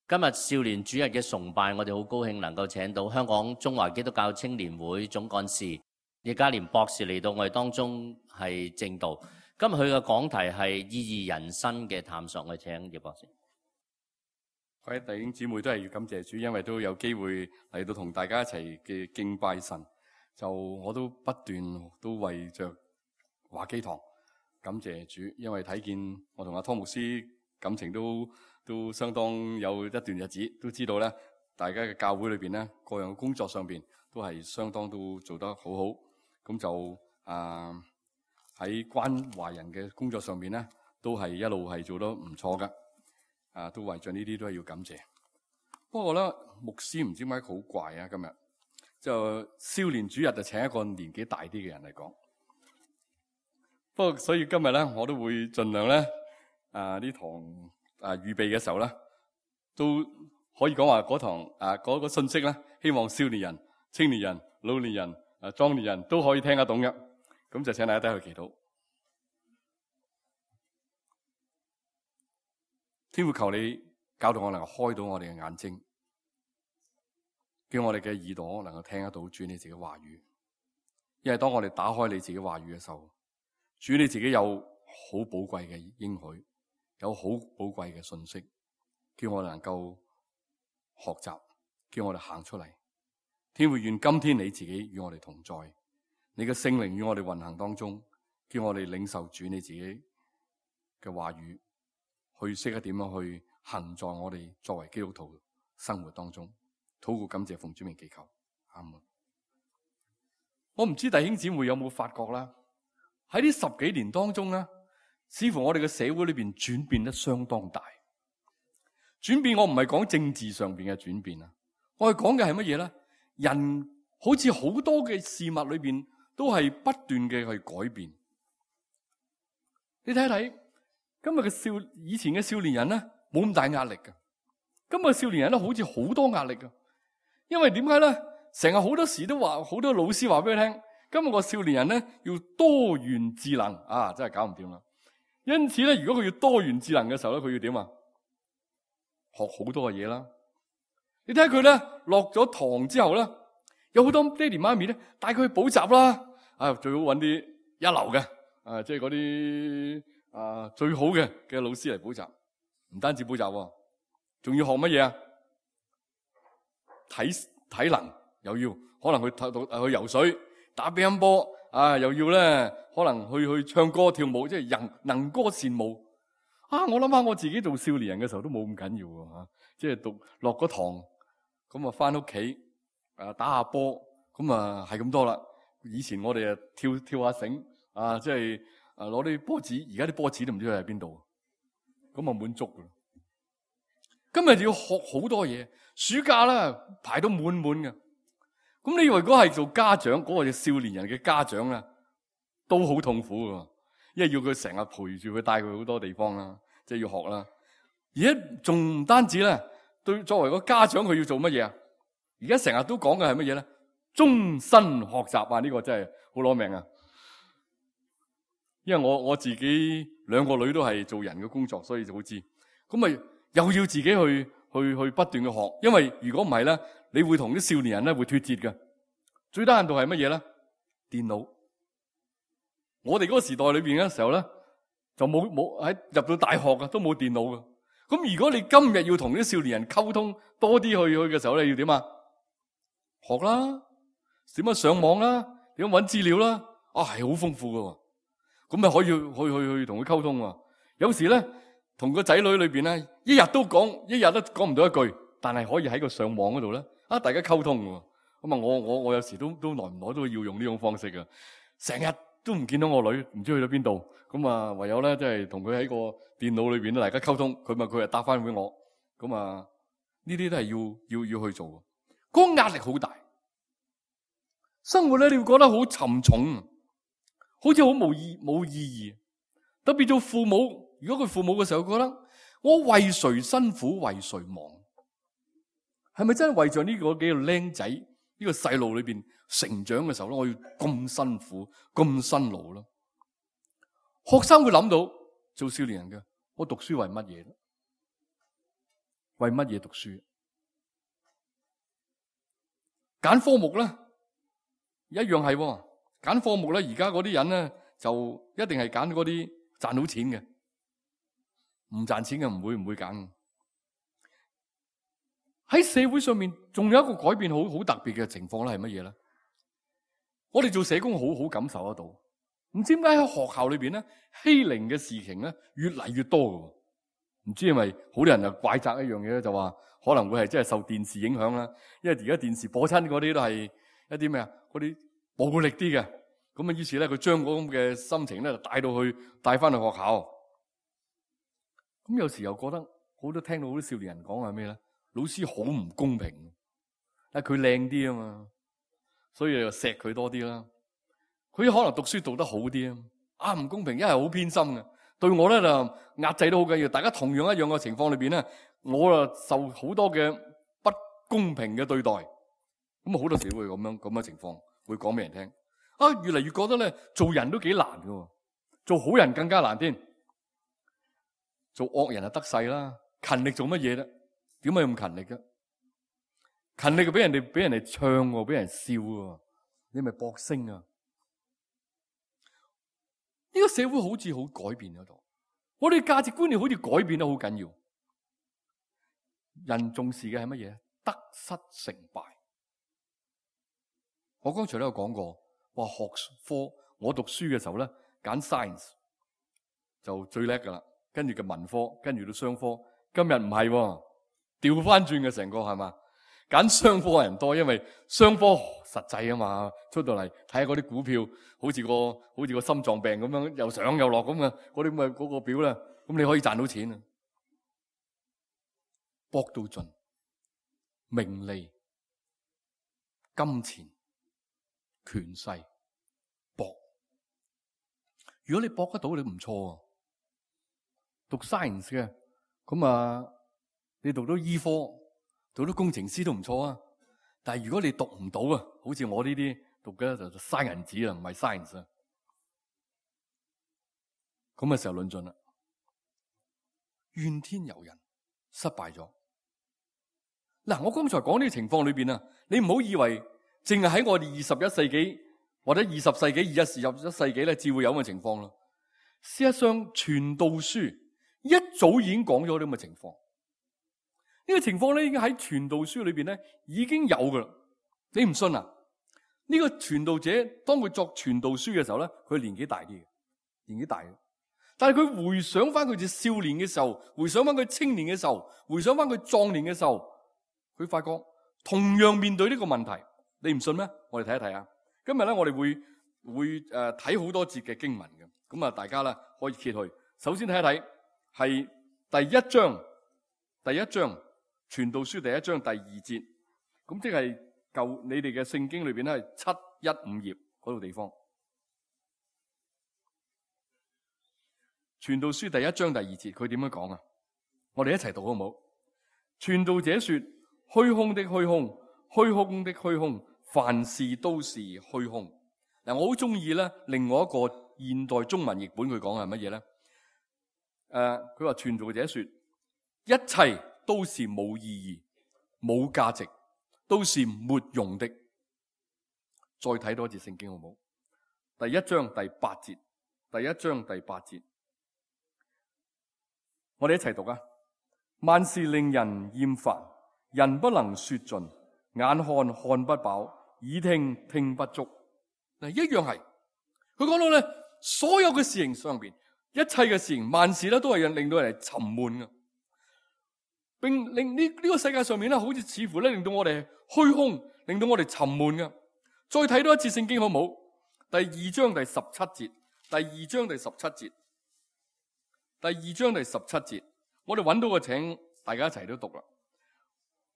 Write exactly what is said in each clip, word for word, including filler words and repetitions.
今日少年主日嘅崇拜，我哋好高興能夠請到香港中華基督教青年會總幹事葉家廉博士嚟到我哋當中係證道。今日佢嘅講題係意義人生嘅探索，我哋請葉博士。各位弟兄姊妹都係要感謝主，因為都有機會嚟到同大家一齊嘅敬拜神。就我都不斷都為着華基堂感謝主，因為睇見我同阿湯牧師感情都都相當有一段日子，都知道咧，大家嘅教會裏邊咧，各樣工作上邊都係相當都做得好好。咁就啊喺關懷人嘅工作上邊咧，都係一路係做得唔錯噶。啊，都為咗呢啲都係要感謝。不過咧，牧師唔知點解好怪啊，今日就少年主日就請一個年紀大啲嘅人嚟講。不過所以今日咧，我都會盡量咧啊呢堂。啊！預備嘅時候咧，都可以講話嗰堂啊嗰、嗰個信息咧，希望少年人、青年人、老年人、啊壯年人都可以聽得懂嘅。咁就請大家低去祈禱。天父，求你教導我能夠開到我哋嘅眼睛，叫我哋嘅耳朵能夠聽得到主你自己話語。因為當我哋打開你自己話語嘅時候，主你自己有好寶貴嘅應許。有好寶貴嘅信息，叫我哋能夠學習，叫我哋行出嚟。天父，願今天你自己與我哋同在，你嘅聖靈與我哋運行當中，叫我哋領受主你自己嘅話語，去識得點樣去行在我哋作為基督徒生活當中。禱告感謝奉主名祈求，阿門。我唔知弟兄姊妹有冇發覺啦？喺呢十幾年當中咧，似乎我哋嘅社會裏邊轉變得相當大。轉變我唔係講政治上邊嘅轉變啊，我係講嘅係乜嘢咧？人好似好多嘅事物裏邊都係不斷嘅去改變。你睇睇今日嘅少以前嘅少年人咧，冇咁大壓力㗎。今日嘅少年人咧，好似好多壓力㗎。因為點解咧？成日好多時都話，好多老師話俾佢聽，今日個少年人咧要多元智能啊，真係搞唔掂啦。因此咧，如果佢要多元智能嘅時候咧，佢要點啊？學好多嘅嘢啦。你睇下佢咧，落咗堂之後咧，有好多爹哋媽咪咧帶佢去補習啦。啊，最好揾啲一流嘅，啊，即係嗰啲啊最好嘅嘅老師嚟補習。唔單止補習，仲要學乜嘢啊？體體能又要，可能去去游水、打乒乓波。啊！又要咧，可能去去唱歌跳舞，即係人能歌善舞。啊！我諗下我自己做少年人嘅時候都冇咁緊要喎嚇，即係讀落個堂，咁啊翻屋企啊打下波，咁啊係咁多啦。以前我哋啊跳跳下繩啊，即係啊攞啲波子，而家啲波子都唔知佢喺邊度，咁啊滿足噶啦。今日就要學好多嘢，暑假啦排到滿滿嘅。咁你以為如果係做家長嗰、嗰個少年人嘅家長啊，都好痛苦噶，因為要佢成日陪住佢，帶佢好多地方啦，即係要學啦。而家仲唔單止咧，對作為個家長佢要做乜嘢啊？而家成日都講嘅係乜嘢咧？終身學習啊！呢、呢個真係好攞命啊！因為我我自己兩個女都係做人嘅工作，所以就好知。咁咪又要自己去去去不斷嘅學，因為如果唔係咧，你會同啲少年人咧會脫節嘅。最低限度係乜嘢咧？電腦。我哋嗰個時代裏邊嘅時候咧，就冇冇喺入到大學啊，都冇電腦嘅。咁如果你今日要同啲少年人溝通多啲去去嘅時候咧，要點啊？學啦，點樣上網啦，點樣搵資料啦，啊係好豐富嘅。咁咪可以去去去同佢溝通啊。有時咧，同個仔女裏邊咧，一日都講，一日都講唔到一句，但係可以喺個上網嗰度咧，啊大家溝通嘅。咁啊，我我我有時都都耐唔耐都要用呢種方式嘅，成日都唔見到我女，唔知去咗邊度。咁啊，唯有咧即係同佢喺個電腦裏邊咧，大家溝通。佢咪佢又答翻俾我。咁啊，呢啲都係要要要去做。嗰個壓力好大，生活咧你會覺得好沉重，好似好冇意冇意義。特別做父母，如果佢父母嘅時候覺得我為誰辛苦為誰忙，係咪真係為咗呢個幾個僆仔呢個細路裏邊成長嘅時候咧，我要咁辛苦咁辛勞咯？學生會諗到做少年人嘅，我讀書為乜嘢咧？為乜嘢讀書？揀科目咧，一樣係揀科目咧。而家嗰啲人咧就一定係揀嗰啲賺到錢嘅，唔賺錢嘅唔會唔會揀。喺社會上面仲有一個改變好好特別嘅情況咧，係乜嘢咧？我哋做社工好好感受得到，唔知點解喺學校裏邊咧欺凌嘅事情咧越嚟越多嘅。唔知係咪好多人就怪責一樣嘢咧，就話可能會係真係受電視影響啦。因為而家電視播親嗰啲都係一啲咩啊？嗰啲暴力啲嘅，咁啊於是咧佢將嗰咁嘅心情咧就帶到去帶翻去學校。咁有時又覺得好多聽到好多少年人講係咩咧？老師好唔公平，但係佢靚啲啊嘛，所以就錫佢多啲啦。佢可能讀書讀得好啲啊，啊唔公平，一係好偏心嘅。對我咧就壓制都好緊要，大家同樣一樣嘅情況裏邊咧，我啊受好多嘅不公平嘅對待，咁好多時會咁樣咁嘅情況會講俾人聽。啊，越嚟越覺得咧做人都幾難㗎，做好人更加難添。做惡人就得勢啦，勤力做乜嘢咧？點解咁勤力嘅？勤力就俾人哋俾人哋唱，俾人笑，你咪博聲啊！呢個社會好似好改變咗度，我哋價值觀念好似改變得好緊要。人重視嘅係乜嘢？得失成敗。我剛才都有講過，話學科，我讀書嘅時候咧，揀 science 就最叻噶啦，跟住嘅文科，跟住到商科。今日唔係喎，調翻轉嘅成個係嘛？揀商科嘅人多，因為商科實際啊嘛，出到嚟睇下嗰啲股票，好似個好似個心臟病咁樣，又上又落咁嘅，嗰啲咁嘅嗰個表咧，咁你可以賺到錢啊！搏到盡，名利、金錢、權勢，搏。如果你搏得到，你唔錯啊！讀 science 嘅，咁啊，你讀到醫科。做到工程師都唔錯啊，但係如果你讀唔到啊，好似我呢啲讀嘅就嘥銀紙啦，唔係 science 啊，咁嘅時候論盡啦，怨天尤人，失敗咗。嗱，我剛才講呢個情況裏邊啊，你唔好以為淨係喺我哋二十一世紀或者二十世紀、二十一世紀咧，至會有咁嘅情況咯。事實上，傳道書一早已經講咗呢咁嘅情況。呢個情況咧，已經喺傳道書裏邊咧已經有噶啦。你唔信啊？呢個傳道者當佢作傳道書嘅時候咧，佢年紀大啲嘅，年紀大嘅。但係佢回想翻佢哋少年嘅時候，回想翻佢青年嘅時候，回想翻佢壯年嘅時候，佢發覺同樣面對呢個問題。你唔信咩？我哋睇一睇啊！今日咧，我哋會會誒睇好多節嘅經文嘅。咁啊，大家咧可以揭去。首先睇一睇係第一章，第一章。傳道書第一章第二節，咁即係舊你哋嘅聖經裏邊咧係七一五頁嗰度地方。傳道書第一章第二節，佢點樣講啊？我哋一齊讀好唔好？傳道者說：虛空的虛空，虛空的虛空，凡事都是虛空。嗱，我好中意咧，另外一個現代中文譯本佢講係乜嘢咧？誒、呃，佢話傳道者說：一切都是冇意義、冇價值，都是沒用的。再睇多一節聖經好唔好？第一章第八節，第一章第八節，我哋一齊讀啊！萬事令人厭煩，人不能說盡，眼看看不飽，耳聽聽不足。嗱，一樣係佢講到咧，所有嘅事情上邊，一切嘅事情，萬事咧都係令到人哋沉悶嘅。並令呢呢個世界上面咧，好似似乎咧令到我哋虛空，令到我哋沉悶嘅。再睇多一次聖經好唔好？第二章第十七節，第二章第十七節，第二章第十七節，我哋揾到個，請大家一齊都讀啦。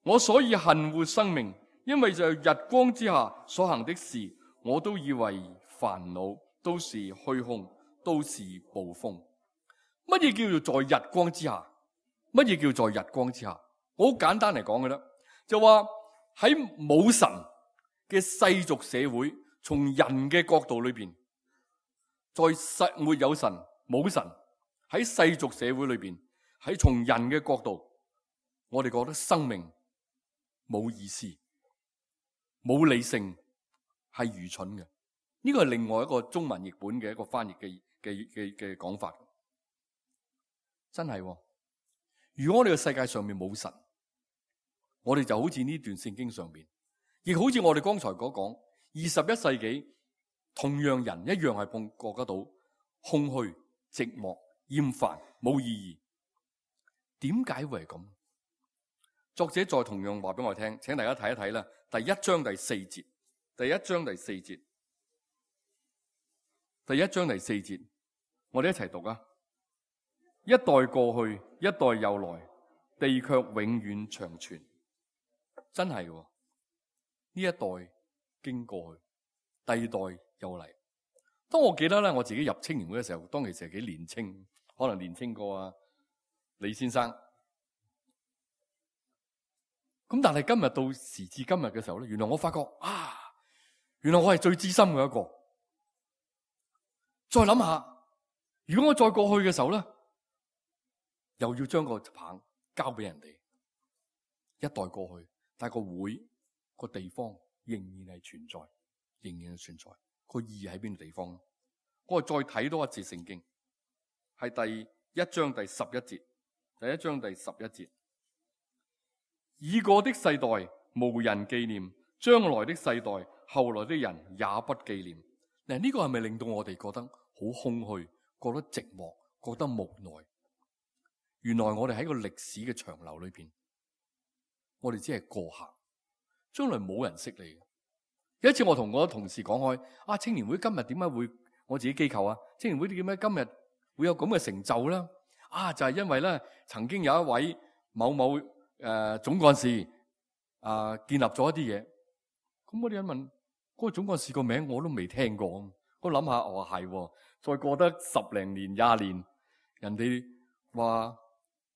我所以恨惡生命，因為在日光之下所行的事，我都以為煩惱，都是虛空，都是捕風。乜嘢叫做在日光之下？乜嘢叫在日光之下？我好簡單嚟講嘅啦，就話喺冇神嘅世俗社會，從人嘅角度裏邊，在實沒有神冇神喺世俗社會裏邊，喺從人嘅角度，我哋覺得生命冇意思、冇理性，係愚蠢嘅。呢個係另外一個中文譯本嘅一個翻譯嘅嘅嘅嘅講法。真係喎，如果我哋嘅世界上面冇神，我哋就好似呢段聖經上面，亦好似我哋剛才所講，二十一世紀同樣人一樣係碰覺得到空虛、寂寞、厭煩、冇意義。點解會係咁？作者再同樣話俾我聽，請大家睇一睇啦。第一章第四節，第一章第四節，第一章第四節，我哋一齊讀啊！一代過去，一代又來，地卻永遠長存。真係喎，呢一代經過去，第二代又嚟。當我記得咧，我自己入青年會嘅時候，當其時係幾年青，可能年青過啊李先生。咁但係今日到時至今日嘅時候咧，原來我發覺啊，原來我係最資深嘅一個。再諗下，如果我再過去嘅時候咧，又要將個棒交俾人哋。一代過去，但係個會個地方仍然係存在，仍然係存在。個意義喺邊個地方？我哋再睇多一節聖經，係第一章第十一節。第一章第十一節，已過的世代無人紀念，將來的世代後來的人也不紀念。嗱，呢個係咪令到我哋覺得好空虛，覺得寂寞，覺得無奈？原來我哋喺個歷史嘅長流裏邊，我哋只係過客，將來冇人識你。有一次我同我同事講開，啊，青年會今日點解會我自己機構啊？青年會點解今日會有咁嘅成就咧？啊，就係、是、因為咧，曾經有一位某某誒、呃、總幹事啊、呃，建立咗一啲嘢。咁我哋一問，嗰、那個總幹事個名我都未聽過。我諗下，我話係，再過得十零年、廿年，人哋話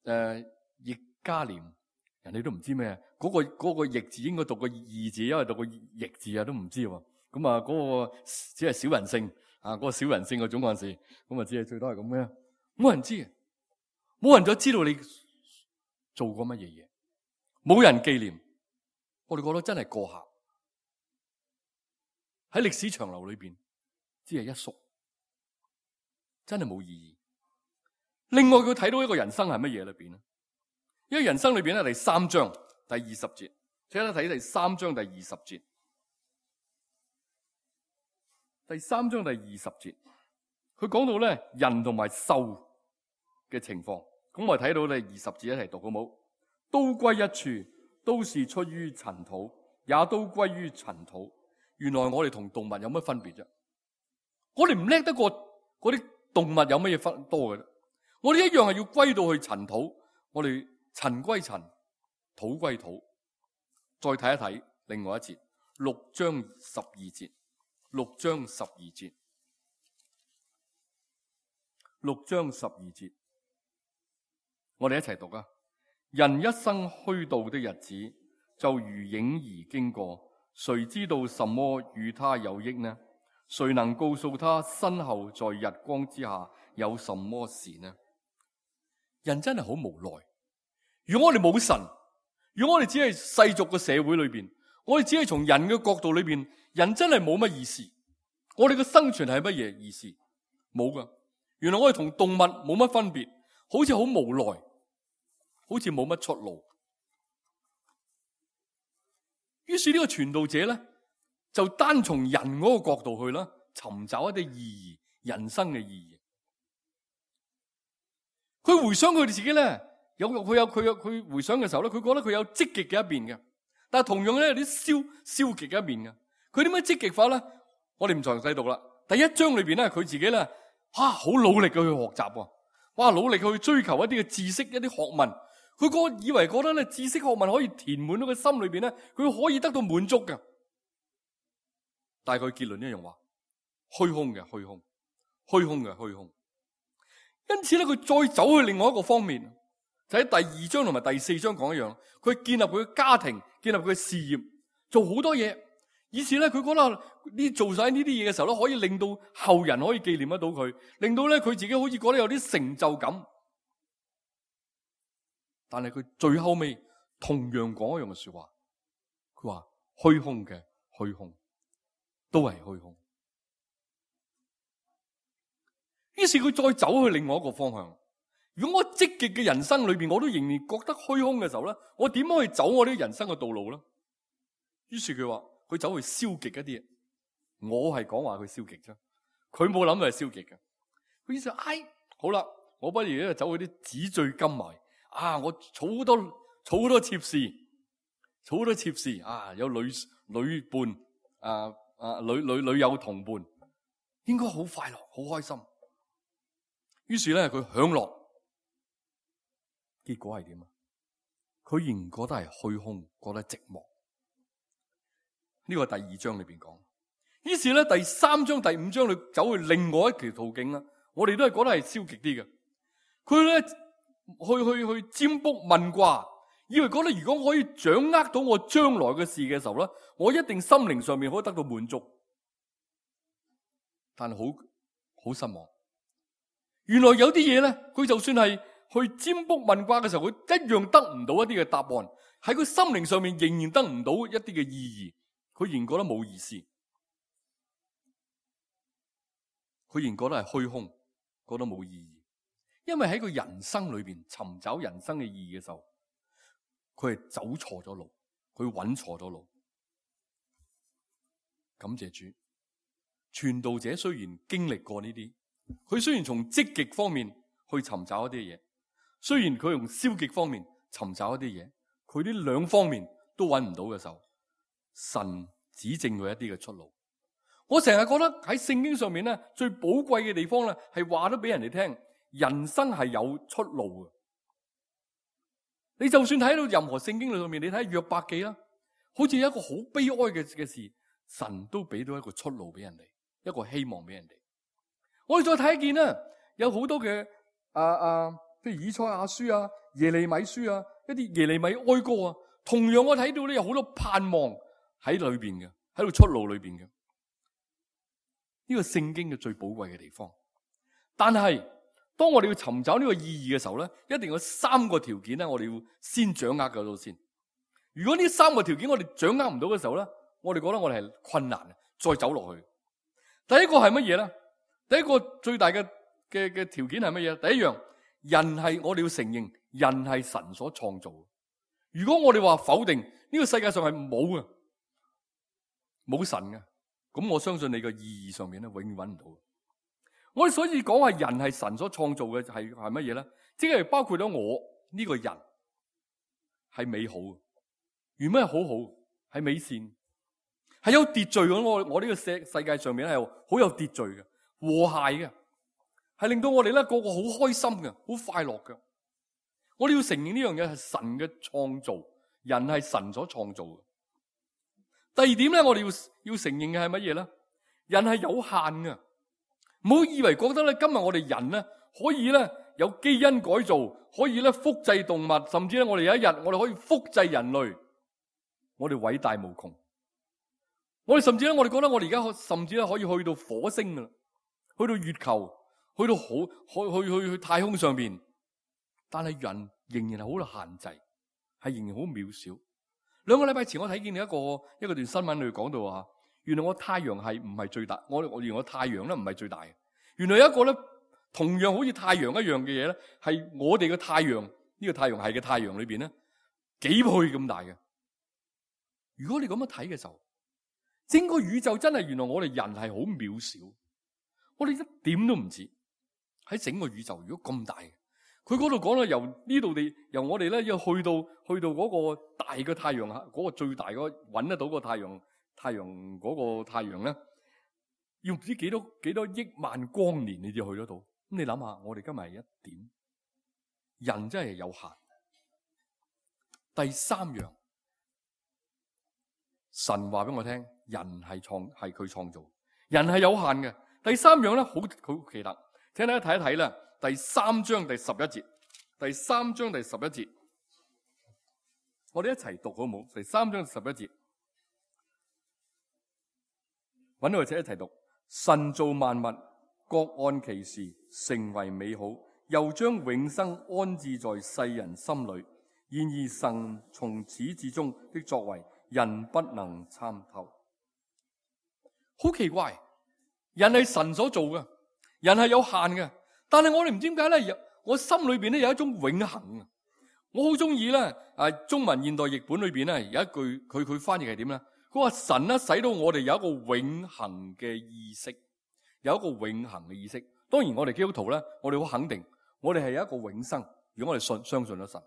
誒易家年，人哋都唔知咩。嗰、那個嗰、那個易字應該讀個易字，因為讀個易字啊，都唔知喎。咁啊，嗰個只係小人姓啊，嗰、那個小人姓嘅總幹事，咁啊，只係最多係咁嘅，冇人知。冇人再知道你做過乜嘢嘢，冇人紀念，我哋覺得真係過客。喺歷史長流裏邊，只係一縮，真係冇意義。另外佢睇到一個人生係乜嘢裏邊咧？因為人生裏邊咧，第三章第二十節，請睇睇第三章第二十節。第三章第二十節，佢講到咧人同埋獸嘅情況。咁我哋睇到你二十節一齊讀好冇？都歸一處，都是出於塵土，也都歸於塵土。原來我哋同動物有乜分別啫？我哋唔叻得過嗰啲動物有乜嘢分多嘅啫？我哋一樣係要歸到去塵土。我哋塵歸塵，土歸土。再睇一睇另外一節，六章十二節，六章十二節，六章十二節。我哋一齊讀啊！人一生虛度的日子，就如影兒經過，誰知道什麼與他有益呢？誰能告訴他身後在日光之下有什麼事呢？人真係好無奈。如果我哋冇神，如果我哋只係世俗嘅社會裏邊，我哋只係從人嘅角度裏邊，人真係冇乜意思。我哋嘅生存係乜嘢意思？冇噶。原來我哋同動物冇乜分別。好似好無奈，好似冇乜出路。於是呢個傳道者咧，就單從人嗰個角度去啦，尋找一啲意義，人生嘅意義。佢回想佢哋自己咧，有佢有佢有佢回想嘅時候咧，佢覺得佢有積極嘅一面嘅，但係同樣咧有啲消消極嘅一面嘅。佢點樣積極法咧？我哋唔詳細讀啦。第一章裏邊咧，佢自己咧，啊好努力嘅去學習喎。哇！努力去追求一啲嘅知識，一啲學問，佢個以為覺得咧知識學問可以填滿到佢心裏邊咧，佢可以得到滿足嘅。但係佢結論一樣話，虛空嘅虛空，虛空嘅虛空。因此咧，佢再走去另外一個方面，就喺第二章同埋第四章講一樣，佢建立佢嘅家庭，建立佢嘅事業，做好多嘢。以前咧，佢覺得呢做晒呢啲嘢嘅時候咧，可以令到後人可以紀念得到佢，令到咧佢自己好似覺得有啲成就感。但係佢最後尾同樣講一樣嘅說話，佢話虛空嘅虛空都係虛空。於是佢再走去另外一個方向。如果我積極嘅人生裏邊，我都仍然覺得虛空嘅時候咧，我點樣去走我呢個人生嘅道路咧？於是佢話佢走去消極一啲嘢。我係講話佢消極啫，佢冇諗到係消極嘅。佢意思話，哎，好啦，我不如咧走去啲紙醉金迷啊！我儲好多儲好多妾侍，儲好多妾侍啊！有女女伴啊啊女女女友同伴，應該好快樂，好開心。於是咧佢享樂。結果係點啊？佢仍然覺得係虛空，覺得寂寞。呢個係第二章裏邊講。於是咧第三章、第五章你走去另外一條途徑啦。我哋都係覺得係消極啲嘅。佢咧去去去占卜問卦，以為覺得如果我可以掌握到我將來嘅事嘅時候咧，我一定心靈上面可以得到滿足。但係好好失望。原來有啲嘢咧，佢就算係去占卜問卦嘅時候，佢一樣得唔到一啲嘅答案，喺佢心靈上面仍然得唔到一啲嘅意義，佢仍然覺得冇意思，佢仍然覺得係虛空，覺得冇意義。因為喺佢人生裏邊尋找人生嘅意義嘅時候，佢係走錯咗路，佢揾錯咗路。感謝主，傳道者雖然經歷過呢啲，佢雖然從積極方面去尋找一啲嘢。雖然佢用消極方面尋找一啲嘢，佢呢兩方面都揾唔到嘅時候，神指正佢一啲嘅出路。我成日覺得喺聖經上面咧，最寶貴嘅地方咧，係話咗俾人哋聽，人生係有出路嘅。你就算睇到任何聖經裏面，你睇約伯記啦，好似有一個好悲哀嘅嘅事，神都俾到一個出路俾人哋，一個希望俾人哋。我哋再睇一件啦，有好多嘅啊啊。譬如以賽亞書啊、耶利米書啊、一啲耶利米哀歌啊，同樣我睇到咧有好多盼望喺裏邊嘅，喺度出路裏邊嘅。呢個聖經嘅最寶貴嘅地方。但係當我哋要尋找呢個意義嘅時候咧，一定有三個條件咧，我哋要先掌握嗰度先。如果呢三個條件我哋掌握唔到嘅時候咧，我哋覺得我哋係困難嘅，再走落去。第一個係乜嘢咧？第一個最大嘅嘅嘅條件係乜嘢？第一樣。人係我哋要承認，人係神所創造的。如果我哋話否定呢個世界上係冇嘅，冇神嘅，咁我相信你個意義上面咧，永遠揾唔到。我哋所以講話人係神所創造嘅係係乜嘢咧？即係包括咗我呢個人係美好嘅，原本係好好，係美善，係有秩序嘅。我我呢個世世界上面係好有秩序嘅，和諧嘅。係令到我哋咧個個好開心嘅，好快樂嘅。我哋要承認呢樣嘢係神嘅創造，人係神所創造嘅。第二點咧，我哋要要承認嘅係乜嘢咧？人係有限嘅，唔好以為覺得咧今日我哋人咧可以咧有基因改造，可以咧複製動物，甚至咧我哋有一日我哋可以複製人類，我哋偉大無窮。我哋甚至咧我哋覺得我哋而家甚至咧可以去到火星噶啦，去到月球。去到好去去去去太空上邊，但係人仍然係好限制，係仍然好渺小。兩個禮拜前我睇見一個一個段新聞裏講到話，原來我太陽係唔係最大，我我原來我太陽咧唔係最大嘅。原來有一個咧同樣好似太陽一樣嘅嘢咧，係我哋嘅太陽呢、這個太陽系嘅太陽裏邊咧幾倍咁大嘅。如果你咁樣睇嘅時候，整個宇宙真係原來我哋人係好渺小，我哋一點都唔似。喺整個宇宙如果咁大嘅，佢嗰度講到由呢度地由我哋咧要去到去到嗰個大嘅太陽嗰、嗰個最大嗰揾得到個太陽太陽嗰個太陽咧，要唔知幾多幾多億萬光年你至去得到。咁你諗下，我哋今日係一點，人真係有限。第三樣，神話俾我聽，人係創係佢創造，人係有限嘅。第三樣咧，好好奇特。請大家睇一睇啦，第三章第十一節，第三章第十一節，我哋一齊讀好唔好？第三章十一節，揾到就一齊讀。神造萬物，各按其時，成為美好，又將永生安置在世人心裏。然而神從始至終的作為，人不能參透。好奇怪，人係神所做嘅，人係有限嘅，但係我哋唔知點解咧，我心裏邊咧有一種永恆啊！我好中意咧，誒，中文現代譯本裏邊咧有一句，佢佢翻譯係點咧？佢話神咧使到我哋有一個永恆嘅意識，有一個永恆嘅意識。當然我哋基督徒咧，我哋好肯定，我哋係有一個永生。如果我哋信相信咗神，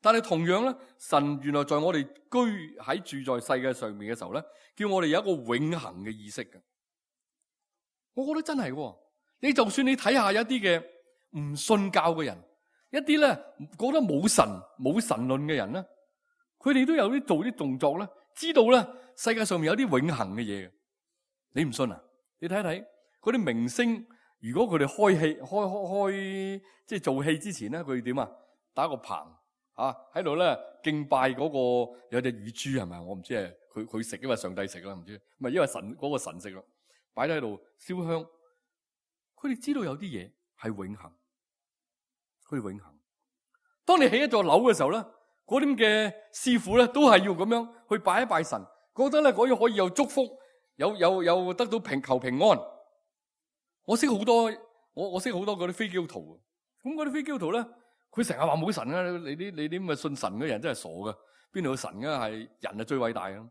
但係同樣咧，神原來在我哋居喺住在世界上面嘅時候咧，叫我哋有一個永恆嘅意識嘅。我覺得真係喎，你就算你睇下一啲嘅唔信教嘅人，一啲咧覺得冇神冇神論嘅人咧，佢哋都有啲做啲動作咧，知道咧世界上面有啲永恆嘅嘢嘅。你唔信啊？你睇一睇嗰啲明星。如果佢哋開戲開開開即係做戲之前咧，佢哋點啊？打個棚啊，喺度咧敬拜嗰個有隻乳豬係咪？我唔知係佢佢食，因為上帝食啦，唔知唔係因為神嗰個神食啦，擺喺度燒香。佢哋知道有啲嘢係永恆，佢哋永恆。當你起一座樓嘅時候咧，嗰啲嘅師傅咧都係要咁樣去拜一拜神，覺得咧嗰樣可以有祝福，有有有得到平求平安。我識好多，我我識好多嗰啲非基督徒。咁嗰啲非基督徒咧，佢成日話冇神啊！你啲你啲咁嘅信神嘅人真係傻噶，邊度有神噶？係人係最偉大嘅。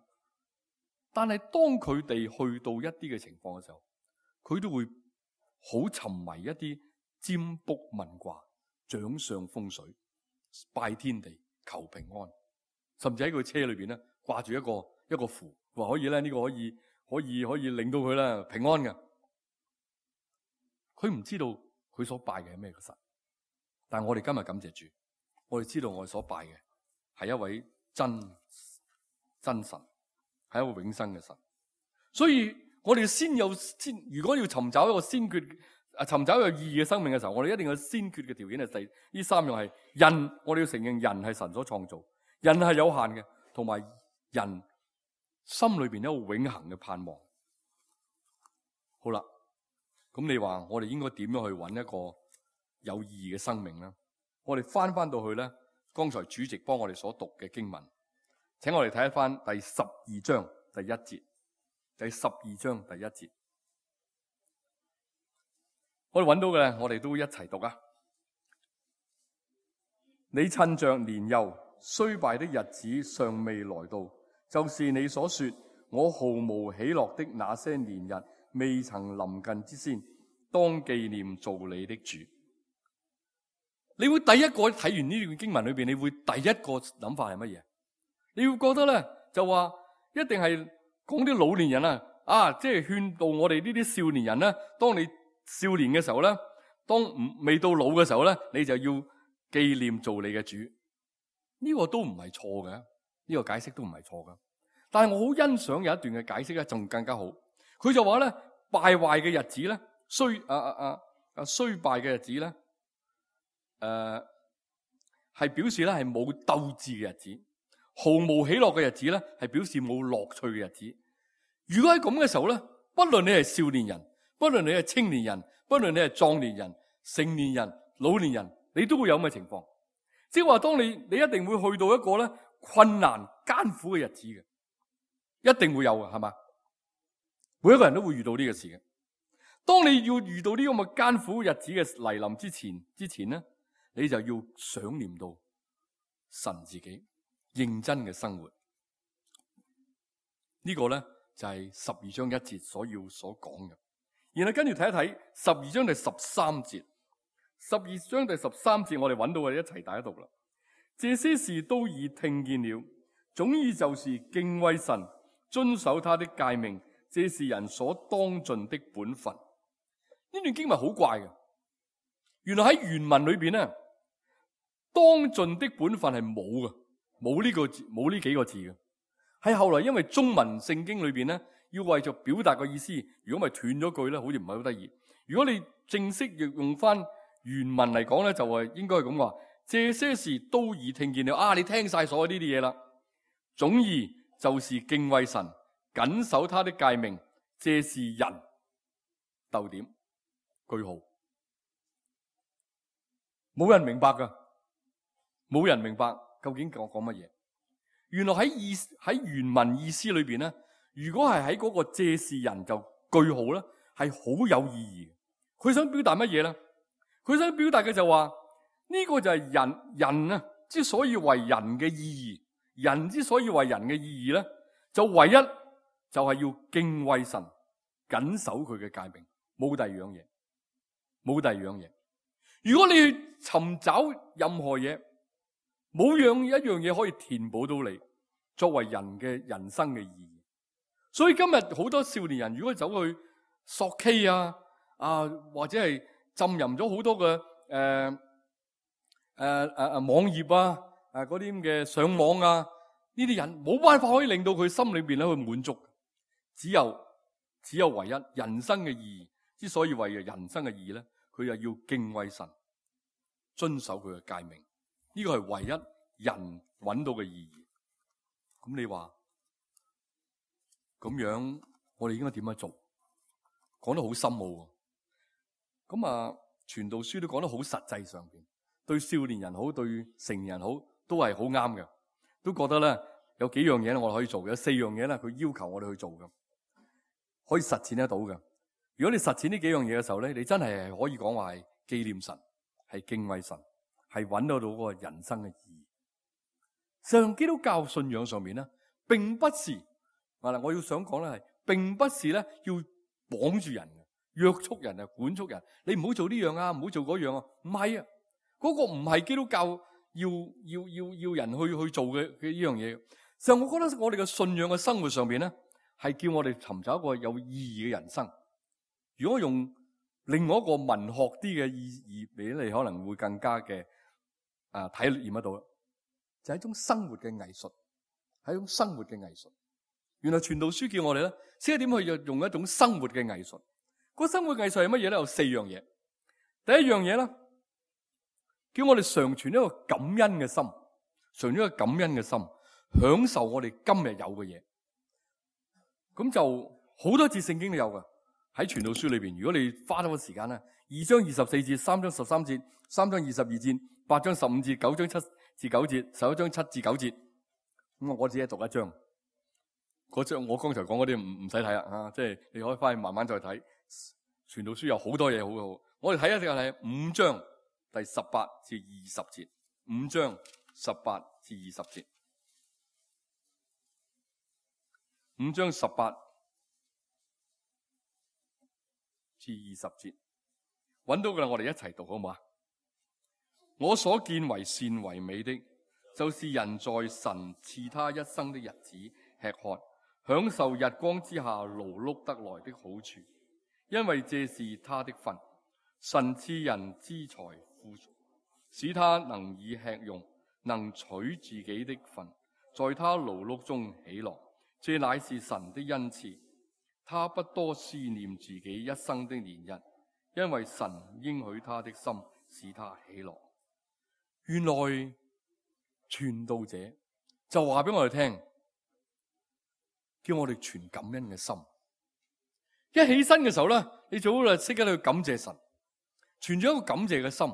但係當佢哋去到一啲嘅情況嘅時候，佢都會好沉迷一啲占卜問卦、掌相風水、拜天地、求平安，甚至喺佢車裏邊咧掛住一個一個符，話可以咧呢個可以可以可以令到佢咧平安嘅。佢唔知道佢所拜嘅係咩嘅神，但係我哋今日感謝主，我哋知道我哋所拜嘅係一位真真神，係一個永生嘅神。所以我哋先有先，如果要尋找一個先決啊，尋找一個意義嘅生命嘅時候，我哋一定有先決嘅條件係第呢三樣係人，我哋要承認人係神所創造，人係有限嘅，同埋人心裏邊有一個永恆嘅盼望。好啦。咁你話我哋應該點樣去揾一個有意義嘅生命咧？我哋翻翻到去咧，剛才主席幫我哋所讀嘅經文，請我哋睇一翻第十二章第一節，第十二章第一節，我哋揾到嘅，我哋都一齊讀啊！你趁着年幼衰敗的日子尚未來到，就是你所說我毫無喜樂的那些年日未曾臨近之先，當紀念造你的主。你會第一個睇完呢段經文裏邊，你會第一個諗法係乜嘢？你會覺得咧，就話一定係講啲老年人啊，啊，即係勸導我哋呢啲少年人咧。當你少年嘅時候咧，當唔未到老嘅時候咧，你就要紀念造你嘅主。呢個都唔係錯嘅，呢個解釋都唔係錯嘅。但係我好欣賞有一段嘅解釋咧，仲更加好。佢就話咧，敗壞嘅日子咧，衰啊啊啊啊衰敗嘅日子咧，誒、呃、係表示咧係冇鬥志嘅日子，毫無喜樂嘅日子咧係表示冇樂趣嘅日子。如果喺咁嘅時候咧，不論你係少年人，不論你係青年人，不論你係壯年人、成年人、老年人，你都會有咁嘅情況。即係話，當你你一定會去到一個咧困難艱苦嘅日子嘅，一定會有嘅，係嘛？每一個人都會遇到呢個事嘅。當你要遇到呢個咁嘅艱苦日子嘅嚟臨之前，之前咧，你就要想念到神自己認真嘅生活。呢個咧就係十二章一節所要所講嘅。然後跟住睇一睇十二章第十三節。十二章第十三節，我哋揾到我哋一齊大家讀啦。這些事都已聽見了，總意就是敬畏神，遵守他的誡命，這是人所當盡的本分。呢段經文好怪嘅，原來喺原文裏邊咧，當盡的本分係冇嘅，冇呢個字，冇呢幾個字嘅。係後來因為中文聖經裏邊咧，要為咗表達個意思，如果咪斷咗句咧，好似唔係好得意。如果你正式要用翻原文嚟講咧，就係應該係咁話：這些事都已聽見了。啊，你聽晒所有呢啲嘢啦。總意就是敬畏神，謹守他的誡命，這是人。逗點句號，冇人明白噶，冇人明白究竟講講乜嘢？原來喺意喺原文意思裏邊咧，如果係喺嗰個借事人就句號咧，係好有意義。佢想表達乜嘢咧？佢想表達嘅就話呢個就係人人啊之所以為人嘅意義，人之所以為人嘅意義咧，就唯一就係要敬畏神，謹守佢嘅誡命，冇第二樣嘢，冇第二樣嘢。如果你去尋找任何嘢，冇樣一樣嘢可以填補到你作為人嘅人生嘅意義。所以今日好多少年人如果走去索 K 啊啊或者係浸淫咗好多嘅誒誒誒誒網頁啊誒嗰啲咁嘅上網啊，呢啲人冇辦法可以令到佢心裏邊咧去滿足。只有只有唯一人生嘅意義，之所以為人生嘅意義咧，佢又要敬畏神，遵守佢嘅誡命。呢個係唯一人揾到嘅意義。咁你話咁樣，我哋應該點樣做？講得好深奧。咁啊，傳道書都講得好實際上邊，對少年人好，對成年人好，都係好啱嘅。都覺得咧有幾樣嘢咧，我哋可以做嘅，有四樣嘢咧，佢要求我哋去做嘅，可以實踐得到嘅。如果你實踐呢幾樣嘢嘅時候咧，你真係可以講話係紀念神，係敬畏神，係揾得到嗰個人生嘅意義。上基督教信仰上面咧，並不是嗱，我要想講咧係，並不是咧要綁住人嘅，約束人啊，管束人。你唔好做呢樣啊，唔好做嗰樣啊。唔係啊，嗰個唔係基督教要要要要人去去做嘅嘅呢樣嘢。上我覺得我哋嘅信仰嘅生活上邊咧，係叫我哋尋找一個有意義嘅人生。如果用另外一個文學啲嘅意義俾你，可能會更加嘅啊體驗得到啦。就係一種生活嘅藝術，係一種生活嘅藝術。原來傳道書叫我哋咧，識得點去用一種生活嘅藝術。嗰個生活藝術係乜嘢咧？有四樣嘢。第一樣嘢咧，叫我哋常存一個感恩嘅心，常存一個感恩嘅心，享受我哋今日有嘅嘢。咁就好多節聖經都有噶，喺傳道書裏邊。如果你花咗個時間咧，二章二十四節、三章十三節、三章二十二節、八章十五節、九章七至九節、十一章七至九節，咁我只係讀一章。嗰章我剛才講嗰啲唔唔使睇啦，啊，即係你可以翻去慢慢再睇。傳道書有好多嘢好好，我哋睇一睇係五章第十八至二十節，五章十八至二十節，五章十八至二十節，揾到噶啦，我哋一齊讀好唔好啊？我所見為善為美的，就是人在神賜他一生的日子吃喝，享受日光之下勞碌得來的好處，因為這是他的份。神賜人資財富足，使他能以吃用，能取自己的份，在他勞碌中喜樂。這乃是神的恩賜。他不多思念自己一生的年日，因為神應許他的心，使他喜樂。原來傳道者就話俾我哋聽，叫我哋存感恩嘅心。一起身嘅時候咧，你最好就識得去感謝神，存咗一個感謝嘅心。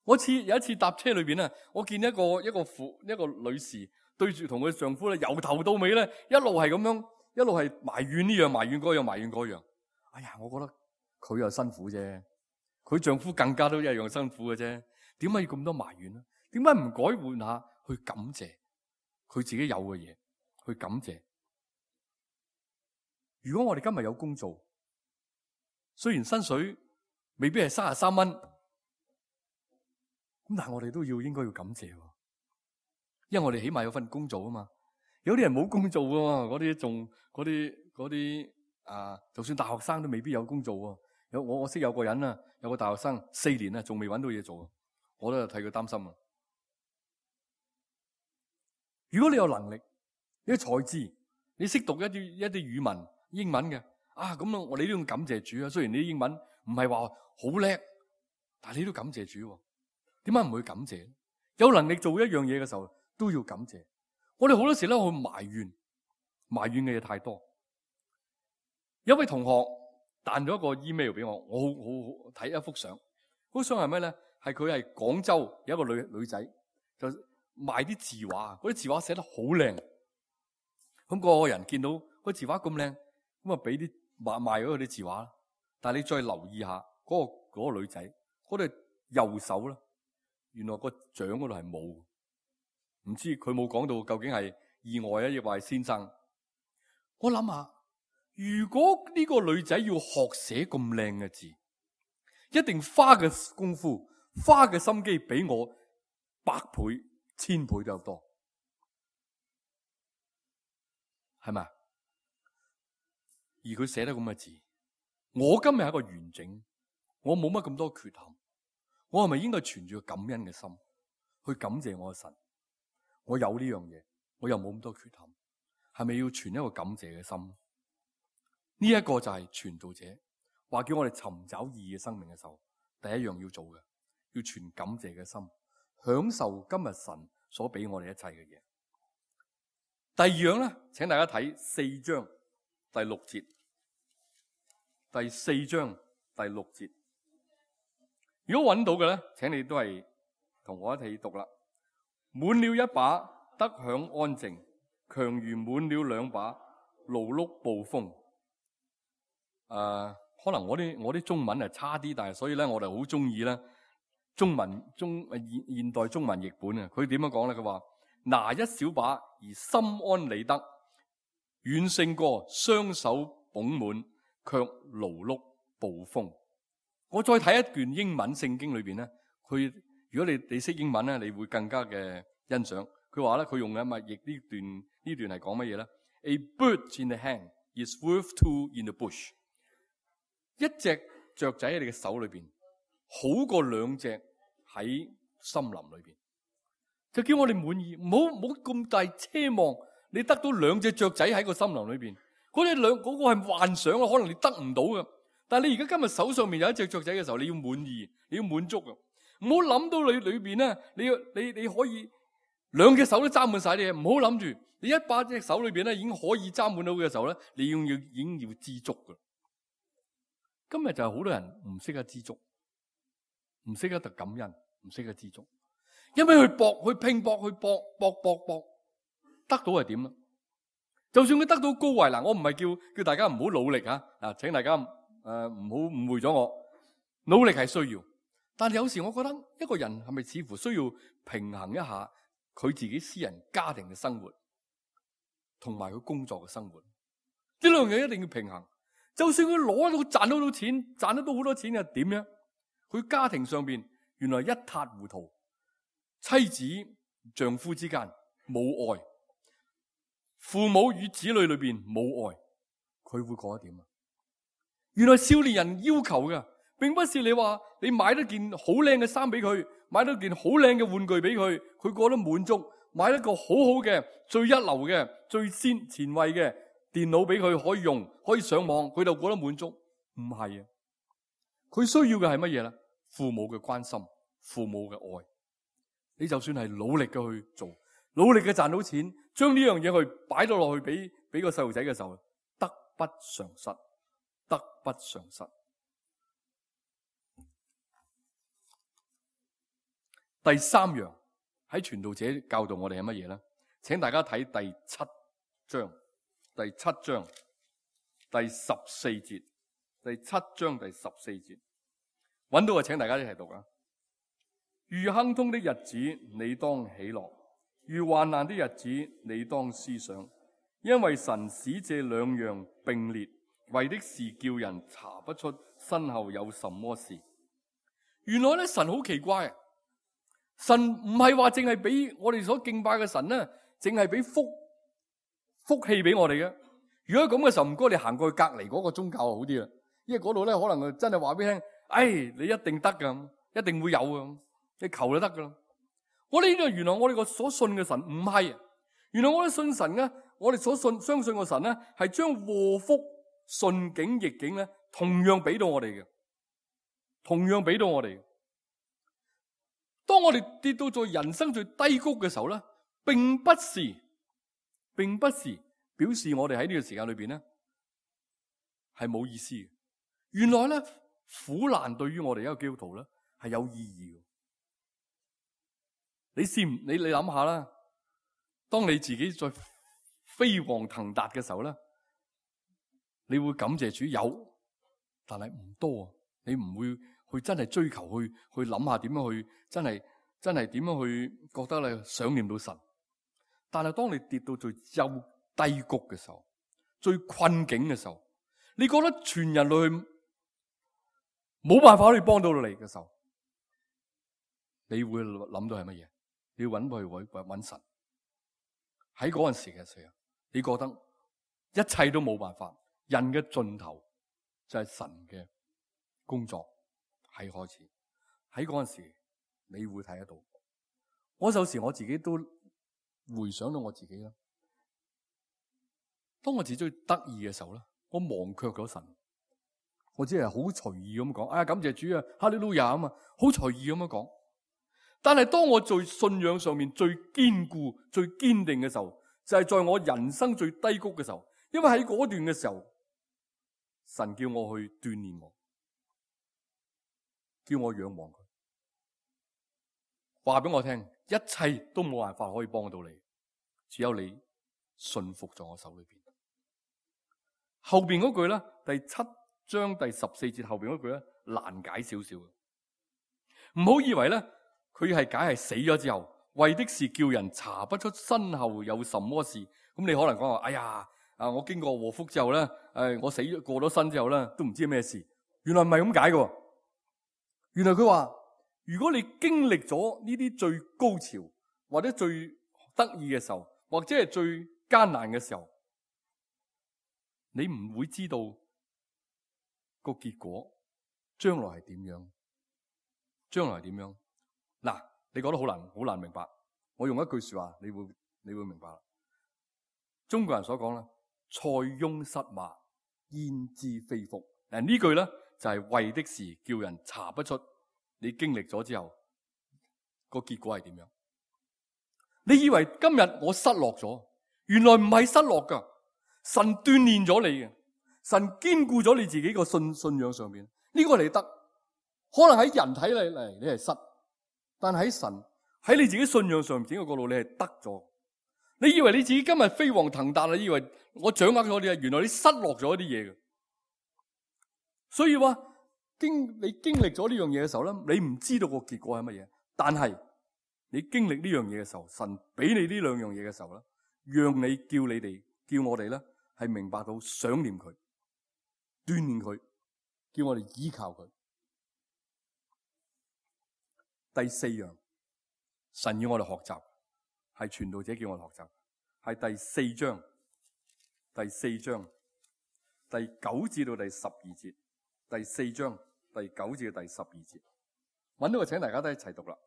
我次有一次搭車裏邊咧，我見一個一個婦一個女士對住同佢丈夫咧，由頭到尾咧一路係咁樣，一路係埋怨呢樣埋怨嗰樣埋怨嗰樣。哎呀，我覺得佢又辛苦啫，佢丈夫更加都一樣辛苦嘅啫。點解要咁多埋怨咧？點解唔改換下去感謝佢自己有嘅嘢？去感謝。如果我哋今日有工做，雖然薪水未必係三十三蚊，咁但係我哋都要應該要感謝，因為我哋起碼有份工做啊嘛。有啲人冇工做噶嘛，嗰啲仲嗰啲嗰啲啊，就算大學生都未必有工做喎。有我我識有個人啊，有個大學生四年啊，仲未揾到嘢做。我都有替佢擔心啊！如果你有能力，你有才智，你識讀一啲一啲語文、英文嘅啊，咁我哋都要感謝主啊！雖然你啲英文唔係話好叻，但係你都感謝主。點解唔會感謝？有能力做一樣嘢嘅時候都要感謝。我哋好多時咧去埋怨，埋怨嘅嘢太多。有位同學彈咗一個 email 俾我，我好好好睇一幅相。嗰幅相係咩咧？係佢係廣州有一個女女仔，就賣啲字畫，嗰啲字畫寫得好靚。咁個個人見到個字畫咁靚，咁啊俾啲賣賣咗嗰啲字畫。但係你再留意下嗰個嗰個女仔，嗰對右手咧，原來個掌嗰度係冇，唔知佢冇講到究竟係意外啊，亦或係先生。我諗下，如果呢個女仔要學寫咁靚嘅字，一定花嘅功夫、花嘅心機比我百倍、千倍都有多，係咪？而佢寫得咁嘅字，我今日係一個完整，我冇乜咁多缺陷，我係咪應該存住個感恩嘅心去感謝我嘅神？我有呢樣嘢，我又冇咁多缺陷，係咪要存一個感謝嘅心？呢一個就係傳道者話叫我哋尋找意義嘅生命嘅時候，第一樣要做嘅，要存感謝嘅心，享受今日神所俾我哋一切嘅嘢。第二樣咧，請大家睇四章第六節，第四章第六節。如果揾到嘅咧，請你都係同我一齊讀啦。滿了一把，得享安靜，強如滿了兩把，勞碌暴風。誒、呃，可能我啲我啲中文係差啲，但係所以咧，我哋好中意咧中文中現現代中文譯本啊。佢點樣講咧？佢話拿一小把而心安理得，遠勝過雙手捧滿卻勞碌暴風。我再睇一段英文聖經裏邊咧，佢如果你你識英文咧，你會更加嘅欣賞。佢話咧，佢用嘅咪譯呢段呢段係講乜嘢咧 ？A bird in the hand is worth two in the bush。一隻雀仔喺你嘅手裏邊，好過兩隻喺森林裏邊。就叫我哋滿意，唔好唔好咁大奢望，你得到兩隻雀仔喺個森林裏邊，嗰啲兩嗰個係幻想啊，可能你得唔到嘅。但係你而家今日手上面有一隻雀仔嘅時候，你要滿意，你要滿足啊！唔好諗到你裏邊咧，你要你你可以兩隻手都揸滿晒啲嘢，唔好諗住你一把隻手裏邊咧已經可以揸滿到嘅時候咧，你要要已經要知足噶。今日就係好多人唔識得知足，唔識得特感恩，唔識得知足，因為去搏、去拼搏、去搏搏搏搏，得到係點啦？就算佢得到高位嗱，我唔係叫叫大家唔好努力吓，啊，請大家誒唔好誤會咗我，努力係需要，但係有時我覺得一個人係咪似乎需要平衡一下佢自己私人家庭嘅生活，同埋佢工作嘅生活，呢兩樣一定要平衡。就算佢攞到賺到到錢，賺得到好多錢又點樣？佢家庭上邊原來一塌糊塗，妻子丈夫之間冇愛，父母與子女裏邊冇愛，佢會過得點啊？原來少年人要求嘅，並不是你話你買咗件好靚嘅衫俾佢，買咗件好靚嘅玩具俾佢，佢過得滿足；買一個好好嘅、最一流嘅、最先前衛嘅電腦俾佢可以用，可以上網，佢就覺得滿足。唔係啊，佢需要嘅係乜嘢咧？父母嘅關心，父母嘅愛。你就算係努力嘅去做，努力嘅賺到錢，將呢樣嘢去擺到落去俾俾個細路仔嘅時候，得不償失，得不償失。第三樣喺傳道者教導我哋係乜嘢咧？請大家睇第七章。第七章第十四節，第七章第十四節，揾到嘅請大家一齊讀啊！遇亨通的日子，你當喜樂；遇患難的日子，你當思想，因為神使這兩樣並列，為的是叫人查不出身後有什麼事。原來咧，神好奇怪啊！神唔係話淨係俾我哋所敬拜嘅神咧，淨係俾福。福氣俾我哋嘅。如果咁嘅時候，唔該你行過去隔籬嗰個宗教就好啲啦，因為嗰度咧可能真係話俾你聽，哎，你一定得噶，一定會有噶，你求就得噶啦。我哋呢度原來我哋個所信嘅神唔係，原來我哋信神咧，我哋所信相信個神咧係將禍福順境逆境咧同樣俾到我哋嘅，同樣俾到我哋。當我哋跌到在人生最低谷嘅時候咧，並不是。並不是表示我哋喺呢個時間裏邊咧係冇意思嘅。原來咧苦難對於我哋一個基督徒咧係有意義嘅。你試唔你你諗下啦，當你自己在飛黃騰達嘅時候咧，你會感謝主有，但係唔多啊。你唔會去真係追求去去諗下點樣去真係真係點樣去覺得你想念到神。但係當你跌到最幽低谷嘅時候，最困境嘅時候，你覺得全人類冇辦法可以幫到你嘅時候，你會諗到係乜嘢？你要揾佢揾揾神。喺嗰陣時嘅時候，你覺得一切都冇辦法，人嘅盡頭就係神嘅工作係開始。喺嗰陣時，你會睇得到。我有時我自己都回想到我自己啦。當我自己最得意嘅時候咧，我忘卻咗神。我只係好隨意咁講，哎呀，感謝主啊，哈利路亞啊嘛，好隨意咁樣講。但係當我在信仰上面最堅固、最堅定嘅時候，就係在我人生最低谷嘅時候。因為喺嗰段嘅時候，神叫我去鍛煉我，叫我仰望佢，話俾我聽，一切都冇辦法可以幫到你，只有你信服在我手裏邊。後邊嗰句咧，第七章第十四節後邊嗰句咧，難解少少。唔好以為咧，佢係解係死咗之後，為的是叫人查不出身後有什麼事。咁你可能講話，哎呀，啊我經過禍福之後咧，誒我死咗過咗身之後咧，都唔知咩事。原來唔係咁解嘅。原來佢話，如果你經歷咗呢啲最高潮或者最得意嘅時候，或者係最艱難嘅時候，你唔會知道個結果將來係點樣，將來係點樣。嗱，你覺得好難，好難明白。我用一句說話，你會你會明白。中國人所講啦，塞翁失馬，焉知非福。嗱，呢句咧就係為的是叫人查不出你經歷咗之後個結果係點樣。你以為今日我失落咗，原來唔係失落噶。神鍛煉咗你嘅，神堅固咗你自己個信信仰上面，呢個你得。可能喺人睇你嚟，你係失，但喺神喺你自己信仰上面整個角度，你係得咗。你以為你自己今日飛黃騰達，你以為我掌握咗啲嘢，原來你失落咗一啲嘢嘅。所以話經你經歷咗呢樣嘢嘅時候咧，你唔知道個結果係乜嘢，但係你經歷呢樣嘢嘅時候，神俾你呢兩樣嘢嘅時候咧，讓你叫你哋叫我哋咧係明白到想念佢，鍛煉佢，叫我哋依靠佢。第四樣，神要我哋學習，係傳道者叫我哋學習，係第四章，第四章第九至到第十二節，第四章第九至到第十二節，揾到個，請大家都一齊讀啦。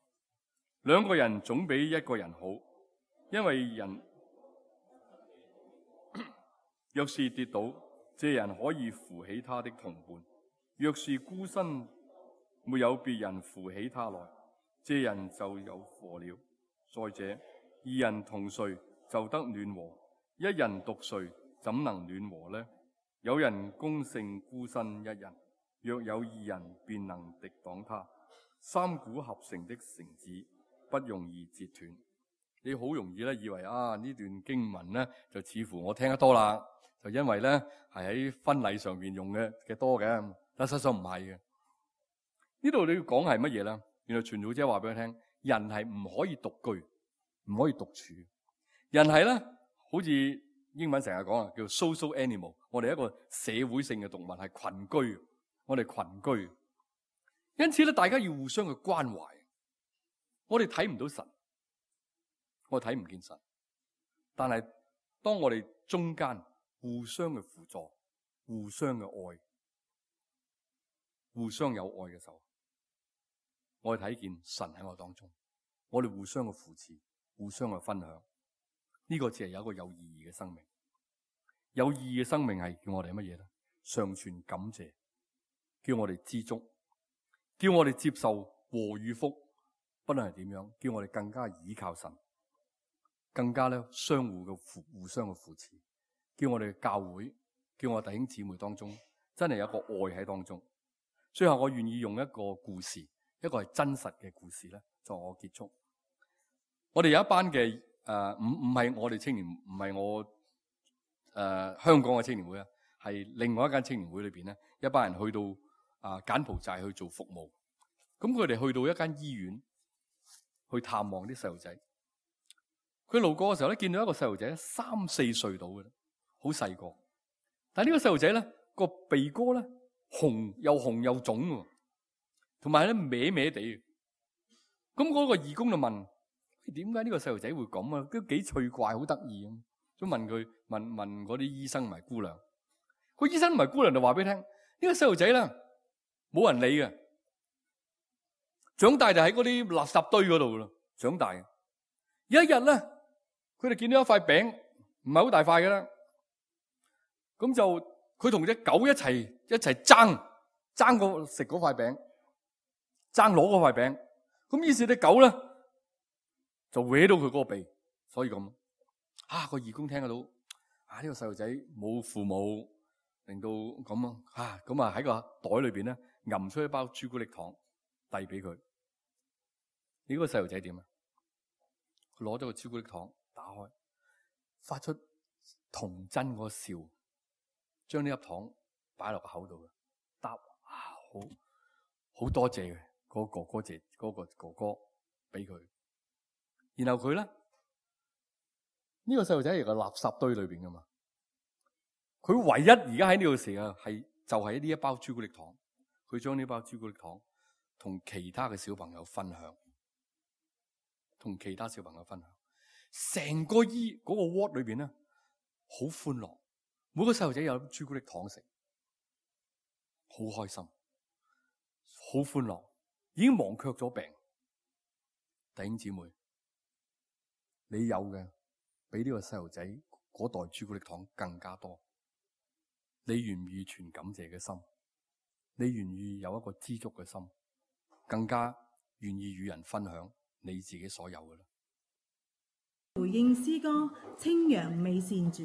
兩個人總比一個人好，因為人若是跌倒，這人可以扶起他的同伴；若是孤身，沒有別人扶起他來，這人就有禍了。再者，二人同睡就得暖和，一人獨睡怎能暖和呢？有人攻勝孤身一人，若有二人便能敵擋他。三股合成的繩子不容易折斷。你好容易咧以為啊呢段經文咧就似乎我聽得多啦，就因為咧係喺婚禮上邊用嘅嘅多嘅，但實際上唔係嘅。呢度你要講係乜嘢咧？原來傳道者話俾佢聽，人係唔可以獨居，唔可以獨處。人係咧，好似英文成日講啊，叫 social animal。我哋一個社會性嘅動物，係群居。我哋群居，因此咧，大家要互相嘅關懷。我哋睇唔到神，我哋睇唔見神，但係當我哋中間互相嘅輔助、互相嘅愛、互相有愛嘅時候，我哋睇見神喺我當中。我哋互相嘅扶持、互相嘅分享，呢、這個只係有一個有意義嘅生命。有意義嘅生命係叫我哋乜嘢咧？常存感謝，叫我哋知足，叫我哋接受禍與福，不論係點樣，叫我哋更加倚靠神，更加咧相互嘅扶互相嘅扶持，叫我哋嘅教會，叫我弟兄姊妹當中真係有一個愛喺當中。最後我願意用一個故事，一個係真實嘅故事咧，作我結束。我哋有一班嘅誒，唔唔係我哋青年，唔係我誒、呃、香港嘅青年會啊，係另外一間青年會裏邊咧，一班人去到啊、呃、柬埔寨去做服務。咁佢哋去到一間醫院去探望啲細路仔。佢路過嘅時候咧，見到一個細路仔三四歲到嘅，好細個。但係呢個細路仔咧，個鼻哥咧紅又紅又腫喎，同埋咧歪歪地。咁嗰個義工就問：點解呢個細路仔會咁啊？都幾趣怪，好得意咁。都問佢問問嗰啲醫生同埋姑娘。個醫生同埋姑娘就話俾你聽：呢個細路仔咧冇人理嘅，長大就喺嗰啲垃圾堆嗰度咯。長大有一日咧，佢哋見到一塊餅，唔係好大塊嘅啦。咁就佢同隻狗一齊一齊爭爭個食嗰塊餅，爭攞嗰塊餅。咁於是隻狗咧就搲到佢嗰個鼻，所以咁啊個義工聽得到啊呢個細路仔冇父母，令到咁啊咁啊喺個袋裏邊咧揞出一包朱古力糖遞俾佢。你嗰個細路仔點啊？佢攞咗個朱古力糖打開，發出童真嗰個笑，將呢粒糖擺落個口度，答啊好好多謝嘅。嗰個哥哥姐，嗰個哥哥俾佢，然後佢咧呢個細路仔係個垃圾堆裏邊噶嘛，佢唯一而家喺呢個時候係就係呢一包朱古力糖，佢將呢包朱古力糖同其他嘅小朋友分享，同其他小朋友分享，成個醫嗰個 ward 裏邊咧好歡樂，每個細路仔有朱古力糖食，好開心，好歡樂。已經忘卻咗病。弟兄姊妹，你有嘅比呢個細路仔嗰袋朱古力糖更加多。你願唔願意存感謝嘅心？你願唔願意有一個知足嘅心？更加願意與人分享你自己所有嘅啦。回應詩歌《清揚美善主》。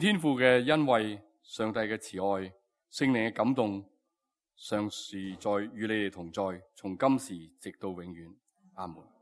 天父嘅恩惠、上帝嘅慈愛、聖靈嘅感動，常時在與你哋同在，從今時直到永遠。阿門。